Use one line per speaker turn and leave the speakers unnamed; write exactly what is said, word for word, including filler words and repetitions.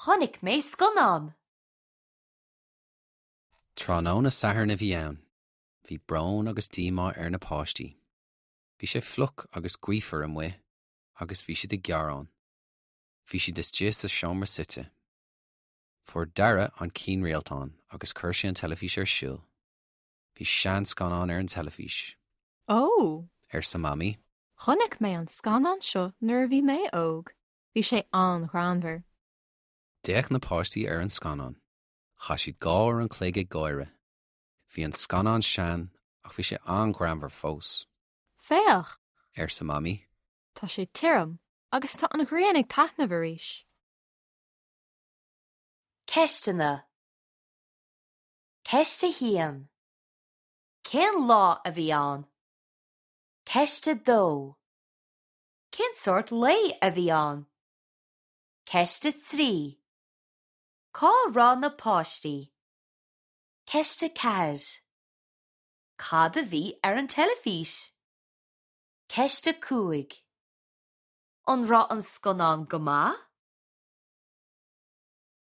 Chonaic mé scannán.
Tráthnóna Sathairn a bhí ann. Bhí brón agus díomá ar na páistí. Bhí sé fliuch agus gaofar amuigh, agus bhí siad ag gearán. Bhí siad istigh sa seomra suite. Fuair Dara an cianrialtán agus chuir sé an teilifís ar siúl. Bhí seanscannán ar an teilifís.
Ó,
Arsa Mamaí,
chonaic mé an scannán seo nuair a bhí mé óg. Bhí sé an-ghreannmhar.
D'fhéach na páistí ar an scannán. Chaith siad dhá uair an chloig ag gáire. Bhí an scannán sean ach bhí sé an-ghreannmhar fós.
Féach,
Arsa Mamaí,
tá sé tirim agus tá an ghrian ag taitneamh arís.
Ceisteanna. Ceist a haon. Cén lá a bhí ann? Ceist a dó. Cén sórt lae a bhí ann? Ceist a trí. Cá raibh na páistí? Ceist a ceathair. Cad a bhí ar an teilifís? Ceist a cúig. An raibh an scannán go maith?